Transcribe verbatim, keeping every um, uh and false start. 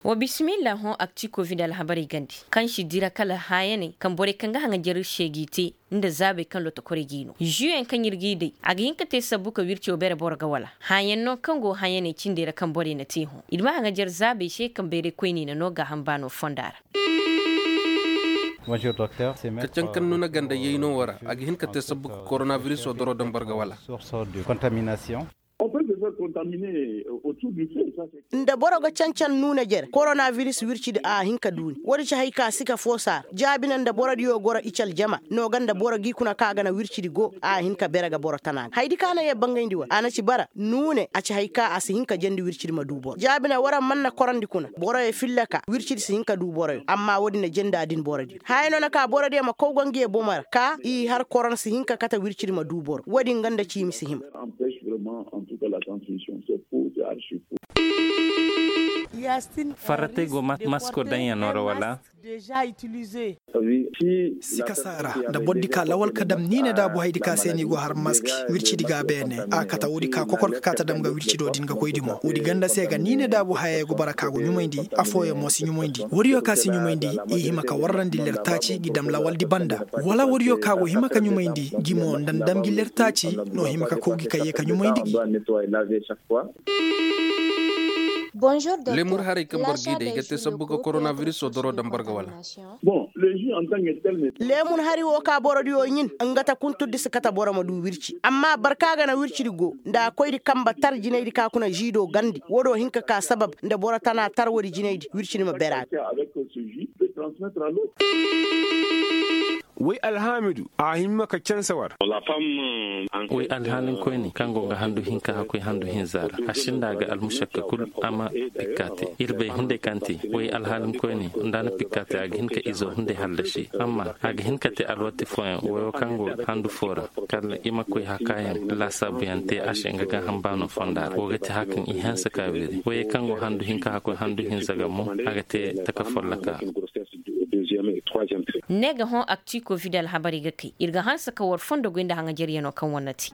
Wa bisimilla hõ akti covid alhabarey gandi kaŋ si dira kala haayaney kaŋ borey kaŋ ga haŋajer seegi te nda zaabey kaŋ lotokorey g'i no zuyaŋ kaŋ ir g'i day a ga hin ka te sabbu ka wirco bere boro ga wala haayaŋ no kaŋ go haayaney cindey ra kaŋ borey na te hõ ir ma haŋajer zaabey se kaŋ bayray koyney na no gaaham baano fonda ra. Ka cankan nuna ganda yayno wo ra a ga hin ka te sabbu ka koronabiriso doro daŋ boro ga wala. Nda boro ga cancan nuuna jere koronabiris wircidi a hin ka duuni woodi ci hay ka si ka foosaara jaabina nda borodiyo goro ical jama no ga nda boro g'i kuna ka a ga na wircidi go a hin ka bere ga boro tana ga haydi ka na yee bangayndi war a na ci bara nuune a ci hay ka a si hin ka jendi wircidi ma duu boro jaabina war a man na korandi kuna boroyo filla ka wircidi si hin ka duu boroyo amma woodi na jendi a din borodiyo haya no na ka borodiyo ma kow ga ngi ye bomo ra ka i har korona si hin ka kate wircidi ma duu boro woodi nga nda ciimi si hima. Farratey go masko daŋyaŋo ra wala? Sika saara nda bordi ka lawal ka dam ni ne daabu haydi ka se ni go har maski wircidi ga beene a kata woodi ka kokor ka kaata dam ga wircido din ga koydi mo woodi ganda se ga ni ne daabu hayey go bara ka go ɲumayndi afooyaŋ mo si ɲumayndi wariyo ka si ɲumayndi i hima ka warrandi lertaaci gi dam lawaldi banda wala wariyo ka go hima ka ɲumayndi gi mo nda nda dam gi lertaaci no hima ka kow gi ka yee ka ɲumayndi gi. Leemun haray kaŋ boro g'i day ga te sabbu ga koronabiriso doro daŋ boro ga wala? Leemun hari wo ka borodiyo ɲin nga ta kunturdi si kate boro ma du wirci amma boro ka ga na wircidi go nda a koydi kamba tar jinaydi ka kuna ziido gandi wo do hin ka ka sabab nda boro tana tar woodi jinaydi wircidi ma bere a ga. Way alhaamidu a hima ka canse war. Way alhaalinkoyni kaŋ go ga handu hinka hakkoy handu hinza ra a sinda a ga almušakka kul a ma pikka te ir bay hunday kaŋ te way alhaalinkoyni nda a na pikka te a ga hin ka izo hunday hallasi amma a ga hin ka te alwati fooyaŋ wayo kaŋ go handu foo ra kala i ma koy hakaayaŋ laasaabuyaŋ te a se nga ga hambaano fonda ra wo ga te hakaŋ i hanse ka wiri wayey kaŋ go handu hinka hakkoy handu hinza ga mo a ga te taka folloka. Ne ga hõ akti covid alhabarey ga kay ir ga hanse ka war fondo goy nda haŋajaryanoo kaŋ war na te.